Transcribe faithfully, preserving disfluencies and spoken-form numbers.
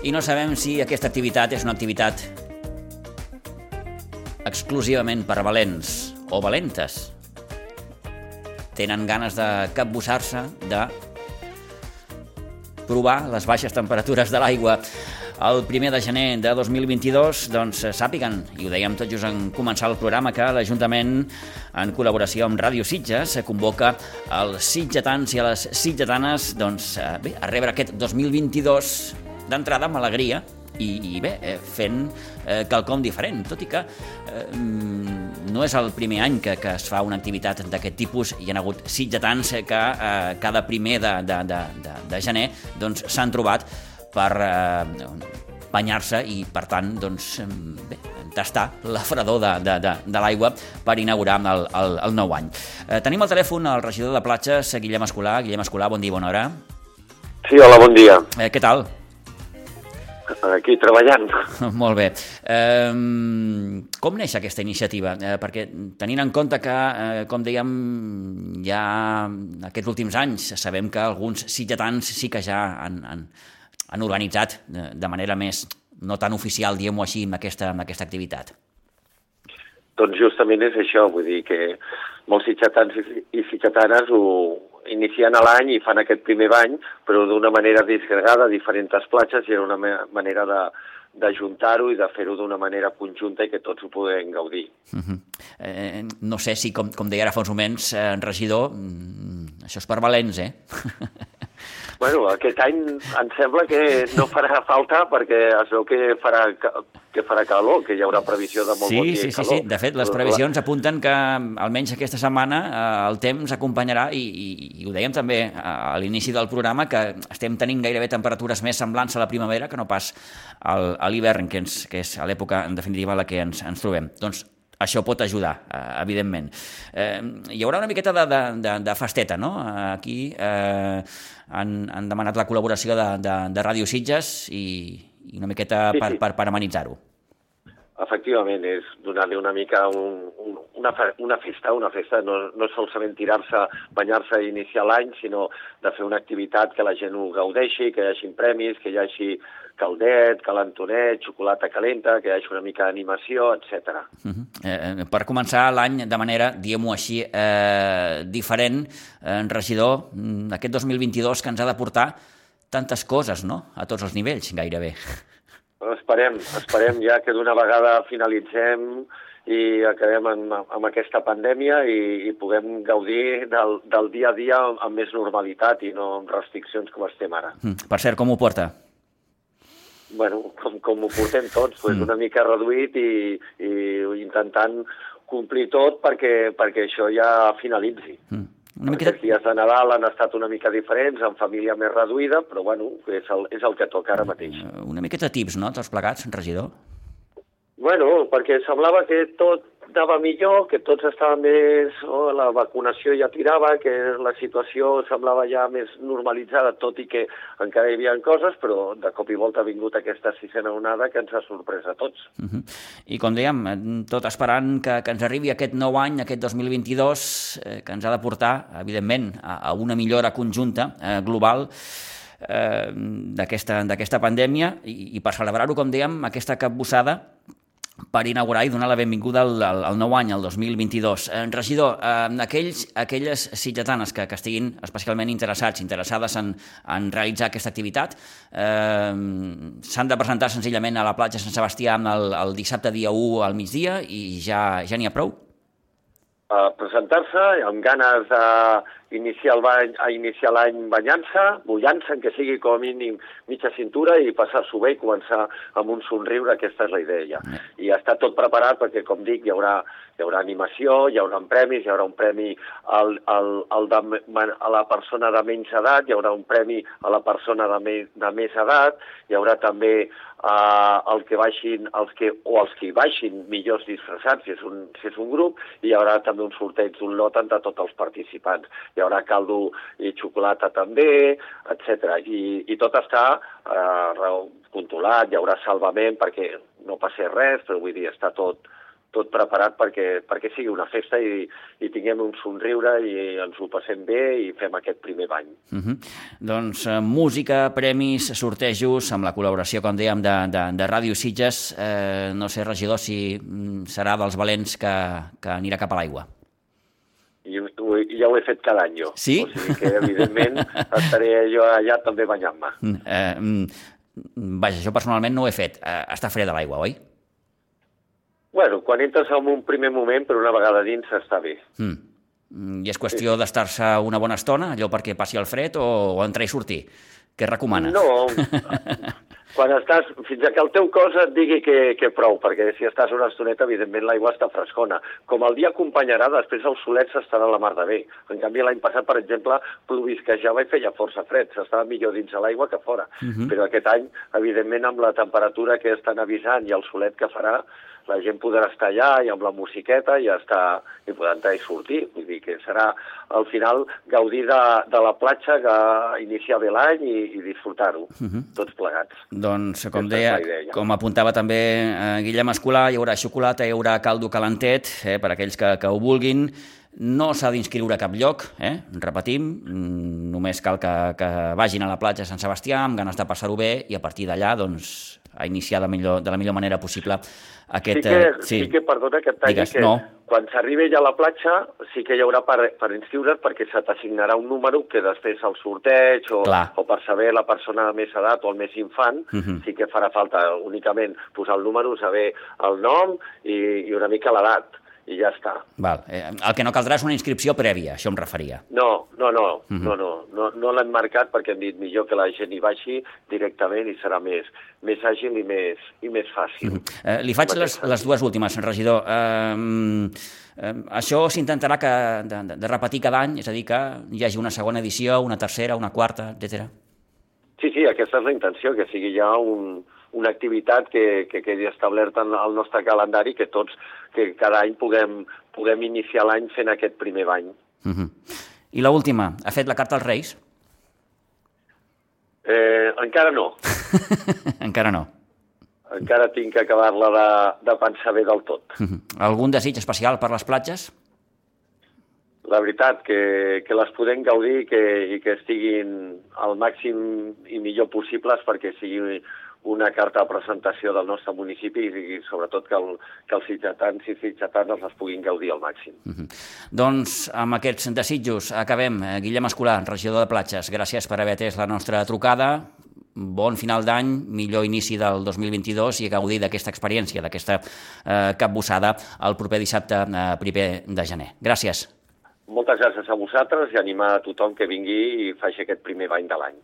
i no sabem si aquesta activitat és una activitat exclusivament per valents o valentes. Tenen ganes de capbussar-se, de provar les baixes temperatures de l'aigua. El primer de gener de dos mil vint-i-dos, doncs sàpiguen, i ho dèiem tot just en començar el programa, que l'Ajuntament, en col·laboració amb Ràdio Sitges, convoca els sitgetans i a les sitgetanes doncs, bé, a rebre aquest dos mil vint-i-dos d'entrada amb alegria i, i bé, fent eh, quelcom diferent, tot i que eh, no és el primer any que, que es fa una activitat d'aquest tipus. Hi ha hagut sitgetans que eh, cada primer de, de, de, de, de gener doncs, s'han trobat per eh, banyar-se i, per tant, doncs, bé, tastar la fredor de, de, de, de l'aigua per inaugurar el, el, el nou any. Eh, tenim al telèfon el regidor de platges, Guillem Escolà. Guillem Escolà, bon dia, bona hora. Sí, hola, bon dia. Eh, què tal? Aquí, treballant. Molt bé. Eh, com neix aquesta iniciativa? Eh, perquè tenint en compte que, eh, com dèiem, ja aquests últims anys sabem que alguns sitgetans sí que ja han, han, han organitzat de, de manera més no tan oficial, diguem-ho així, amb aquesta, amb aquesta activitat. Doncs justament és això, vull dir que molts sitgetans i sitgetanes ho inicien a l'any i fan aquest primer bany, però d'una manera disgregada a diferents platges, i era una manera de d'ajuntar-ho i de fer-ho d'una manera conjunta i que tots ho puguem gaudir. Uh-huh. eh, no sé si, com, com deia ara fa uns moments, eh, regidor, això és per valents, eh? Bueno, aquest any em sembla que no farà falta perquè es veu que farà, que farà calor, que hi haurà previsió de molt sí, bon dia sí, i calor. Sí, sí, de fet, les previsions apunten que almenys aquesta setmana eh, el temps acompanyarà, i, i, i ho dèiem també a l'inici del programa, que estem tenint gairebé temperatures més semblants a la primavera que no pas al, a l'hivern, que, ens, que és a l'època, en definitiva, a la que ens, ens trobem. Doncs això pot ajudar, eh, evidentment. Eh, hi haurà una miqueta de, de, de, de festeta, no? Aquí eh, han, han demanat la col·laboració de, de, de Ràdio Sitges i, i una miqueta sí, per, sí. per, per amenitzar-ho. Efectivament, és donar-li una mica un, un, una, una festa, una festa, no, no solament tirar-se, banyar-se i iniciar l'any, sinó de fer una activitat que la gent ho gaudeixi, que hi hagi premis, que hi hagi caldet, calentonet, xocolata calenta, que hi hagi una mica d'animació, etcètera. Uh-huh. eh, per començar l'any de manera, diguem-ho així, eh, diferent, eh, regidor, aquest dos mil vint-i-dos que ens ha de portar tantes coses, no?, a tots els nivells, gairebé. Esperem, esperem ja que d'una vegada finalitzem i acabem amb, amb aquesta pandèmia i, i puguem gaudir del, del dia a dia amb més normalitat i no amb restriccions com estem ara. Mm. Per cert, com ho porta? Bueno, com, com ho portem tots, pues, mm. una mica reduït i, i intentant complir tot perquè, perquè això ja finalitzi. Mm. Una miqueta... Els dies de Nadal han estat una mica diferents, amb família més reduïda, però bueno, és el, és el que toca ara mateix. Una miqueta tips, no?, tots plegats, regidor? Bueno, perquè semblava que tot anava millor, que tots estaven més... Oh, la vacunació ja tirava, que la situació semblava ja més normalitzada, tot i que encara hi havia coses, però de cop i volta ha vingut aquesta sisena onada que ens ha sorprès a tots. Uh-huh. I com dèiem, tot esperant que, que ens arribi aquest nou any, aquest dos mil vint-i-dos, eh, que ens ha de portar, evidentment, a, a una millora conjunta, eh, global, eh, d'aquesta, d'aquesta pandèmia, i, i per celebrar-ho, com dèiem, aquesta capbussada, per inaugurar i donar la benvinguda al, al, al nou any, al dos mil vint-i-dos. Eh, regidor, eh, aquells, aquelles sitgetanes que, que estiguin especialment interessats, interessades en, en realitzar aquesta activitat, eh, s'han de presentar senzillament a la platja Sant Sebastià el, el dissabte dia u al migdia i ja ja n'hi ha prou? A presentar-se amb ganes d'iniciar el bany, a iniciar l'any banyant-se, mullant-se, en que sigui com a mínim mitja cintura i passar-s'ho bé i començar amb un somriure, aquesta és la idea. I està tot preparat perquè, com dic, hi haurà, hi haurà animació, hi haurà premis, hi haurà un premi al, al, al de, a la persona de menys edat, hi haurà un premi a la persona de, me, de més edat, hi haurà també Uh, el que baixin, els que, o els que hi baixin millors disfressats, si és, un, si és un grup, i hi haurà també un sorteig d'un lot entre tots els participants. Hi haurà caldo i xocolata també, etcètera. I, i tot està uh, controlat, hi haurà salvament perquè no passi res, però vull dir, està tot, tot preparat perquè, perquè sigui una festa i, i tinguem un somriure i ens ho passem bé i fem aquest primer bany. Uh-huh. Doncs eh, música, premis, sortejos, amb la col·laboració, com dèiem, de, de, de Ràdio Sitges. Eh, no sé, regidor, si mm, serà dels valents que, que anirà cap a l'aigua. I, i ja ho he fet cada any jo. Sí? O sigui que, evidentment, estaré jo allà també banyant-me. Eh, vaja, jo personalment no ho he fet. Eh, està freda l'aigua, oi? Bueno, quan entres en un primer moment, però una vegada dins està bé. Mm. I és qüestió sí. d'estar-se una bona estona, allò perquè passi el fred, o, o entrar i sortir? Què recomana? No, quan estàs, fins que el teu cos et digui que, que prou, perquè si estàs una estoneta, evidentment l'aigua està frescona. Com el dia acompanyarà, després el solet s'estarà a la mar de bé. En canvi, l'any passat, per exemple, plovisquejava i feia força fred, s'estava millor dins de l'aigua que fora. Uh-huh. Però aquest any, evidentment, amb la temperatura que estan avisant i el solet que farà, la gent podrà estar allà i amb la musiqueta i ja està, i podrà entrar i sortir. Vull dir que serà, al final, gaudir de, de la platja, que iniciar bé l'any i, i disfrutar-ho, uh-huh. tots plegats. Doncs, com deia, com apuntava també eh, Guillem Escolà, hi haurà xocolata, hi haurà caldo calentet, eh, per aquells que, que ho vulguin. No s'ha d'inscriure a cap lloc, eh? Repetim, només cal que, que vagin a la platja de Sant Sebastià amb ganes de passar-ho bé i a partir d'allà, doncs, a iniciar de, millor, de la millor manera possible aquest... Sí que, eh, sí. sí que perdona que et talli, Digues, que no. quan s'arribi ja a la platja sí que hi haurà per, per inscriure's perquè se t'assignarà un número que després el sorteig o, o per saber la persona de més edat o el més infant, uh-huh. sí que farà falta únicament posar el número, saber el nom i, i una mica l'edat. I ja està. Val. Eh, el que no caldrà és una inscripció prèvia, això em referia. No, no, no, uh-huh. no, no, no, no l'hem marcat perquè hem dit millor que la gent hi vagi directament i serà més, més àgil i més, i més fàcil. Uh-huh. Eh, li faig les, les dues últimes, regidor. Eh, eh, això s'intentarà que, de, de repetir cada any, és a dir, que hi hagi una segona edició, una tercera, una quarta, etcètera. Sí, sí, aquesta és la intenció, que sigui ja un... una activitat que, que quedi establerta al nostre calendari, que tots, que cada any puguem, puguem iniciar l'any fent aquest primer bany. Uh-huh. I l'última, ha fet la carta als Reis? Eh, encara no. Encara no. Encara tinc que acabar-la de, de pensar bé del tot. Uh-huh. Algun desig especial per les platges? La veritat, que, que les podem gaudir que, i que estiguin al màxim i millor possibles perquè sigui una carta de presentació del nostre municipi i, i sobretot que, el, que els sitgetans i sitgetanes les puguin gaudir al màxim. Uh-huh. Doncs amb aquests desitjos acabem. Guillem Escolà, regidor de Platges, gràcies per haver atès la nostra trucada. Bon final d'any, millor inici del dos mil vint-i-dos i a gaudir d'aquesta experiència, d'aquesta eh, capbussada el proper dissabte eh, primer de gener. Gràcies. Moltes gràcies a vosaltres i animar a tothom que vingui i faci aquest primer bany de l'any.